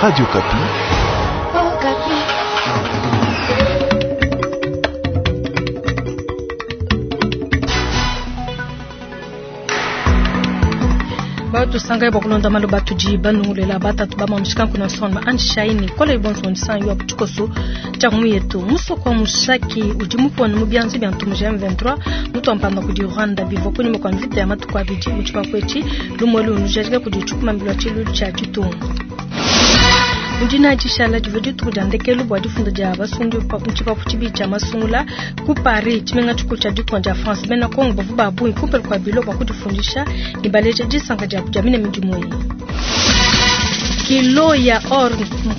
Radio Okapi. Batusangaye bua kulonda malu batudi banungulela batatu ba mamushikanku na nsonga anshaini kola ibonso nsanyu wa tshikoso tshia muyetu musoko wa mushaki udi mupona mu bianza bia ntumu ja M23 mutuampanda kudi Rwanda bivua kunyima kua mvita ya matuku abidi mu tshipapu etshi lumue lunujadika kudi tshikumambilwa tshilu tshia ditunga. Mudina dishala divua dituku dia ndekelu bua difunda dia basungi mu tshipapu tshibidi tshia masungula ku Paris tshimenga tshikulu tshia ditunga dia France. Bena Kongo bavua ba bungi kumpala kua bilo bua kudifundisha ne baleja disanka diabu dia mine midimu eyi. Kilo ya or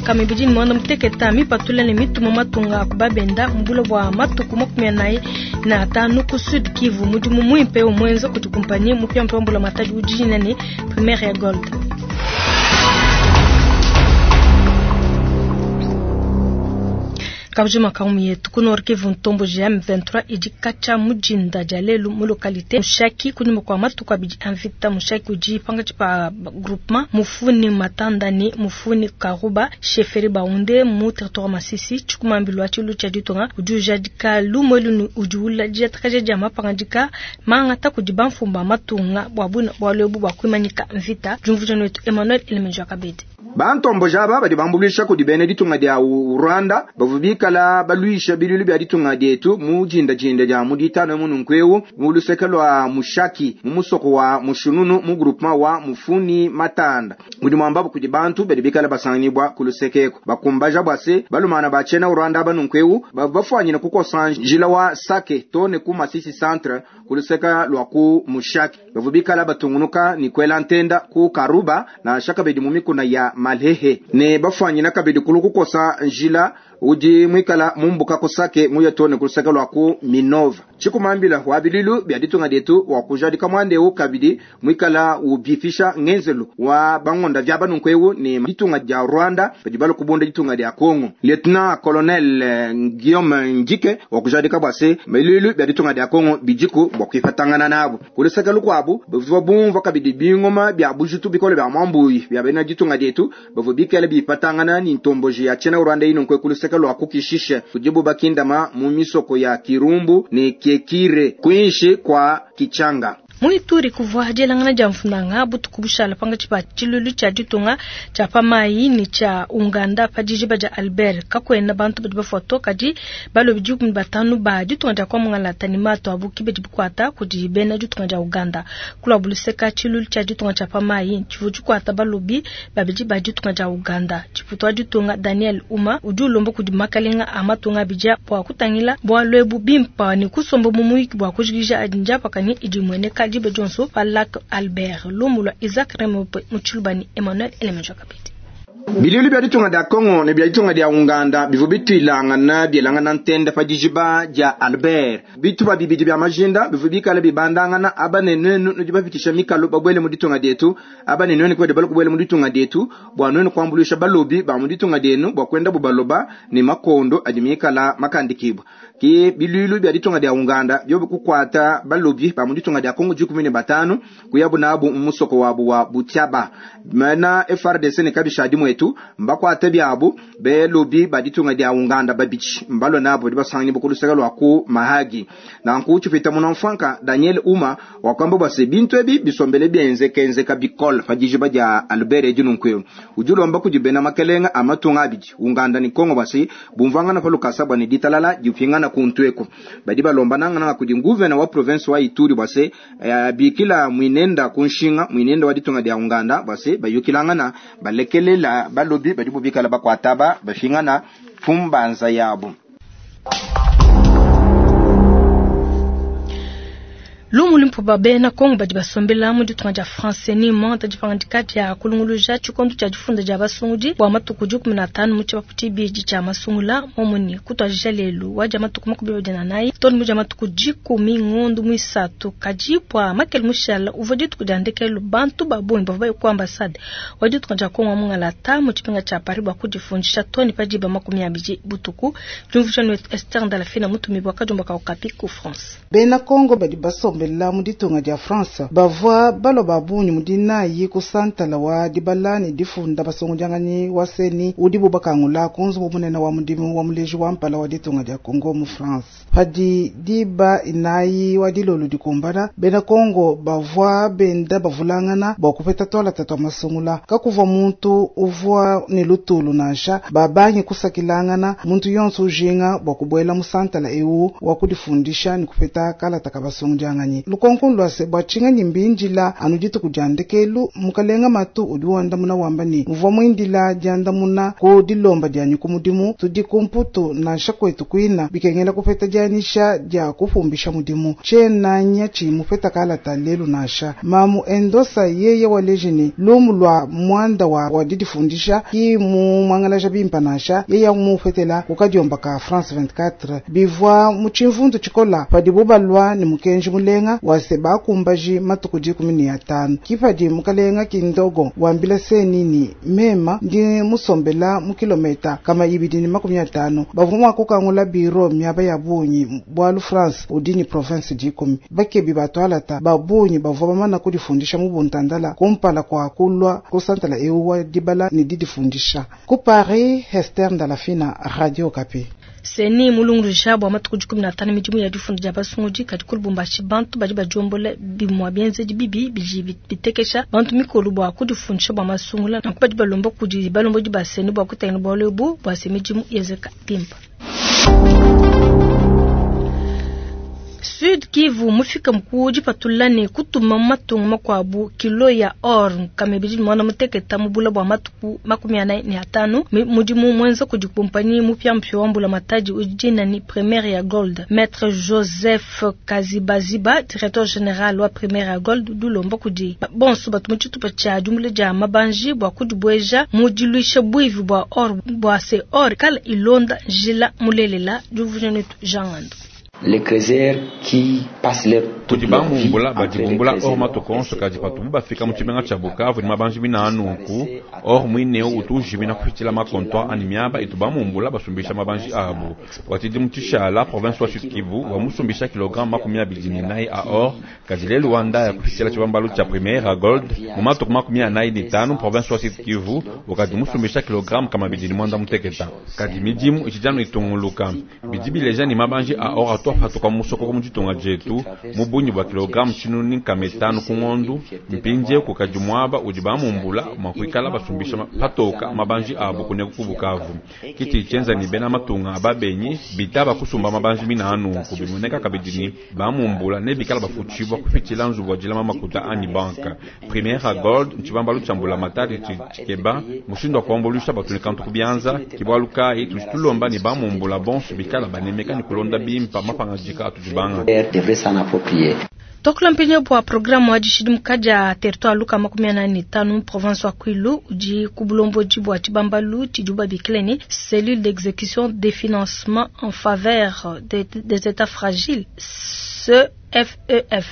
nkama ibidi ne muanda muteketa mipatula ne mituma matunga a kubabenda mu bule bua matuku 45 ku Sud Kivu. Mudimu muimpe umuenza kudi kumpanyi mupiamupia wa mbulamatadi udi ne Primaire ya Gold. Kabujima kaumu yetu ku Nord Kivu ntombo GM23 idi kacha mujinda dia lelu mu localité Mushaki kunyuma kwa matuku abidi a mvita. Mushaki udi pangatshi pa groupement Mufuni Matanda ne Mufuni Karuba chefferie Baunde mu territoire Masisi tshikumambilu wa tshilu tshia ditunga udi ujadika lumue lunu udi ula diatakaja dia mapangadika mangata kudi bamfumba matunga bua buna bualu ebu bua kuimanyika mvita. Jumvuja wetu Emmanuel Elemenjo Kabedi. Bantombo aba badi bambuluisha kudi bena ditunga dia Rwanda bavua bikala baluisha bilulu bia ditunga dietu mu jindajinda dia mu ditano mu nunkuewu mu luseke lwa Mushaki mu musoko wa Mushununu mu groupement wa Mufuni Matanda mudi mwambabu kudi bantu badi bikala basangibwa ku lusekeko bakumbaja bwase balumana bachena Rwanda banunkuewu bavua bafwanyina kukosa njila wa Sake tone ku Masisi centre ku luseka lwa ku Mushaki bavua bikala batungunuka ni kwela ntenda ku Karuba na shaka bedi mu mikuna ya Malehe ne bafwanyina kabidi kulu kukosa njila udi mwikala mumbuka kusake muyatone kulusaka lwa ku Minova chikumambila wa bililu bya ditunga dietu wa kujadika mwandeu kabidi mwikala ubifisha ngenzelu wa bangonda vya banunkwewu ni ditunga dia Rwanda badi balu kubunda ditunga dia Kongo. Lieutenant Colonel Guillaume Njike wa kujadika bwase bililu bya ditunga dia Kongo bijiku bwa kwifatangana nabo kulusaka lukwabu bavua bumva kabidi bingoma bya bujutu bikole bya mwambuyi bya bena ditunga dietu bavua bikala bifatangana ni ntomboji ya chena Rwanda ino nkwe kulusaka lwa kukishisha kujibu bakindama mu misoko ya Kirumbu ni Kiekire kuinshi kwa Kichanga. Muituri kuvua dielangana dia mfunanga butuku bushala pangatshi pa tshilulu tshia ditunga tshia pamayi ni tshia Uganda pa dijiba dia Albert kakwena bantu badi bafua to kadi balobi 15 ba ditunga dia kwa mungalata ni mato abu kibedi bikwata kudi bena ditunga dia Uganda kula buluseka tshilulu tshia ditunga tshia pamayi tshivu tshikwata balobi babidi ba ditunga dia Uganda tshiputwa ditunga Daniel Uma udi ulomba kudi makalenga a matunga abidi bua kutangila bualu ebu bimpa ni kusomba mu muyiki bua kujikija njapakani idi imueneka Jibe Johnson pa Lac Albert Lumulwa Isaac Remope Mutshilubani Emmanuel Elemenjo Kabidi. Bilulu bya ditunga dia Kongo ne bya ditunga dia Uganda bivua bitwilangana byelangana ntenda pa dijiba dia Albert bituba bibidi bya majinda bivua bikala bibandangana aba ne nwenu nudi bapitisha mikalo babwele mu ditunga dietu aba ne nwenu kwede balukubwele mu ditunga dietu bua nwenu kuambuluisha balobi ba mu ditunga dienu bua kwenda bubaloba ne makondo adi mikala makandikibwa ki bilulu bya ditunga dia Uganda byo kukwata balobi ba mu ditunga dia Kongo 15 kuyabu nabu mu musoko wabu wa Butiaba mana FRDC ne kabisha dimwetu mbakwate byabu belobi ba ditunga dia Uganda babichi mbalo nabo dibasangi bukulusaka lwa ku Mahagi na nkuchupita munamfanka Daniel Uma wakwamba base bintu ebi bisombele byenze kenze kabikol fajiji dia Albert Ejununkwe ujulomba kujibena makelenga amatunga abiji Uganda ni Kongo basi bumvangana palukasa bwa ni ditalala jupingana kuntweko badi balomba nangana kudi nguvena wa province wa Ituri base bikila mwinenda kunshinga mwinenda wa ditunga dia Uganda base bayukilangana balekelela balobi badi bubikala bakwataba bashingana fumbanza yabo. Lumu limpo bena Kongo badi basombela mu ditunga dia France ni monta dipangandika dia kulunguluja tshikondo tshia difunda dia basungudi bua matuku 15 mu tshipapu tshibidi tshia masungula momoni kutwajija lelu wadia matuku 24 toni mudia matuku 10 ngondu muisatu kadi bua makele mushala uvua dituku dia ndekelu bantu babungi bavua baye ku ambassade wa ditunga dia Kongo mungalata mu tshipinga tshia Paris bua kudifundisha toni pa diba 20 butuku. Jumvuja Esther Ndalafina mutumi bua kajumba ka Okapi ku France. Bena Kongo badi basombela basombela mu ditunga dia France bavua balua ba bungi mu dinayi ku santala wa dibala ne difunda basungudianganyi wa CENI udibu bakangula ku nzubu munene wa mudimu wa muleji wa mpala wa ditunga dia Congo mu France. Padi diba 4 wa dilolo dikumbana, bena Congo bavua benda bavulangana bua kupeta tualata tua masungula. Kakuvua muntu uvua ne lutulu nansha, babangi kusakilangana muntu yonso ujinga bua kubuela mu santala eu wa kudifundisha ne kupeta kalata ka basungudianganyi. Lukonko lua se bua tshinganyi mbindila anu dituku dia ndekelu, mukalenga Matu udi wandamuna wamba ne muvua muindila diandamuna ku dilomba dianyi ku mudimu, tudi ku Mputu nansha kwetu kuina bikengela kupeta dianyisha dia kupumbisha mudimu. Tshiena nya tshi mupeta kalata lelu nansha. Mamu Endosa yeye waleji ne lumu lua muanda wa didifundisha ki mu mwangalaja bimpa nansha, yeye mupetela ku kadiomba ka France 24 bivua mu tshimvundu tshikola padibu balua ne mukenji mulenga wa se bakumbaji matuku 15. Kipadi mukalenga kindogo wambila CENI ni mema ndi musombela mu kilometa kama 250 bavua mua kukangula biro miaba ya bungi bualu France udi ni province 10 bakebi batwalata ba bungi bavua bamana kudifundisha mu buntandala kumpala kwa kulua ku santala eu wa dibala ne didifundisha. Ku Paris, Hester Ndalafina, Radio Okapi. CENI mulunguluja bua matuku 15 midimu ya difunda dia basungudi kadi ku Lubumbashi bantu badi badiombola bimua bienzedi bibi bidi bitekesha bantu mikolo bua kudifundisha bua masungula nanku badi balomba kudi balombodi ba CENI bua kutangila bualu ebu bua se midimu yenzeka bimpe. Sud Kivu mufika mkuu dipatula ne kutuma matunga makuabu kilo ya or kamebidi mwana muteketa mubula bua matuku 45 mudimu mwenza kudi kumpanyi mupya mpya wa mbula matadi ujina ni Première ya Gold. Maître Joseph Kazibaziba, directeur général wa Première ya Gold, dulomba kudi bonso batu mu tshitupa tshia diumbula dia mabanji bua kudibweja mu diluisha buivi bua or bua se or kala ilonda njila mulelela diuvuja netu Jean Ngando. Les creuseurs qui passent leur Tudi bamumbula badibumbula or matuku onso kadi patubu bafika mu tshimenga tshia Bukavu ne mabanji mina anunku or muineu utu ujimina kupitshila makontwa ani miaba itu bamumbula basumbisha mabanji abu. Watidi mu tshishala province wa Sud Kivu wamusumbisha kilogramme 24 a or kadi lelu wanda ya kupitshila tshibambalu tshia Première a Gold mu matuku 45 province wa Sud Kivu wakadi musumbisha kilogramme kama 2 muteketa kadi midimu itshijanu itunguluka bidi bileja ni mabanji a or atwa patuka musoko mu ditunga dietu mu bungi bua kilogramme 500 ku ngondu mpindie kukadi muaba udi bamumbula mua kuikala basumbisha patoka mabanji abu kuneku ku Bukavu kiti tshienza ni bena matunga ababenyi bitaba kusumba mabanji mina anunku bimoneka kabidi ni bamumbula ne bikala bafutshibua kupitshila nzubu wa dilama makuta ani banka Première Gold ntshibambalu tshia mbula matadi tshikeba mushindu wa kuambuluisha batu ne kantu kubianza kibualu kayi tudi tulomba ni bamumbula bonso bikala banemeka ni kulonda bimpa mapangadika atudi banga. Devrait s'en approprier. Tokula mpinyo bua programme wa dishidimuka dia territoire luka 45 province wa Kwilu udi ku bulomboji bua tshibambalu tshidi babikile ni cellule d'exécution des financements en faveur des états fragiles CFEF.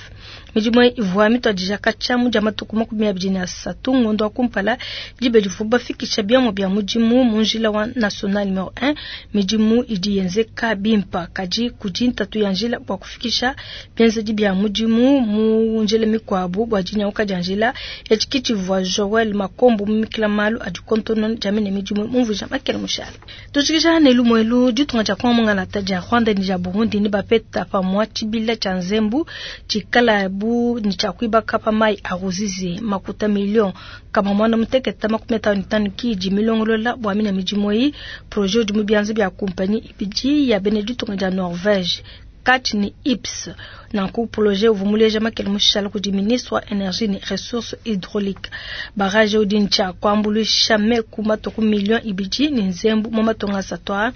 Midimu ivua mituadija katshia mu dia matuku 23 ngondo wa kumpala diba divua bafikisha biamua bia mudimu mu njila wa national numero 1. Midimu idi yenzeka bimpa kadi kudi ntatu ya njila bua kufikisha bienzedi bia mudimu mu njila mikuabu bua dinyauka dia njila. Etshi tshivua Joel Makombo mumikila malu adi kontono dia mine midimu mumvuija makele mushala. Tujikija ne lumuelu ditunga dia Kongo mungalata dia Rwanda ne dia Burundi ne bapeta pamua tshibila tshia nzembu tshikala bu ni tshia kuibaka pa mai a Ruzizi makuta million kama 155 kidi milongolola bua mina midimu eyi. Projet udi mu bianza bia kumpanyi ibidi ya bena ditunga dia Norvège Cat ni Ips. Nanku projet uvua muleja makele mushala kudi ministre wa énergie ne ressources hydrauliques. Barrage udi ntshia kuambuluisha meku matuku million ibidi ne nzembu mu matunga asatu a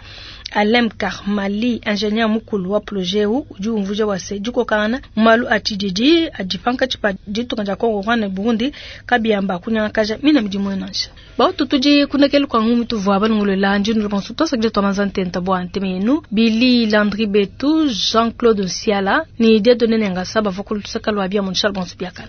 Alem Karmali, ingénieur mukulu wa projet eu udi umvuja wa se dikokangana mu malu a tshididi adi pankatshi pa ditunga dia Congo, Rwanda ne Burundi kabiyamba kunyangakaja mina midimu nansha. Bautu tudi kunekelu kwa ngumu tuvua balongolola ndindu bonso tosakile twamanza ntenta bua nteme yenu Billy Landry Betu, Jean-Claude Nsiala ni Dieudonné Nengasa bavua ku lusaka lua bia mu bonso biakana.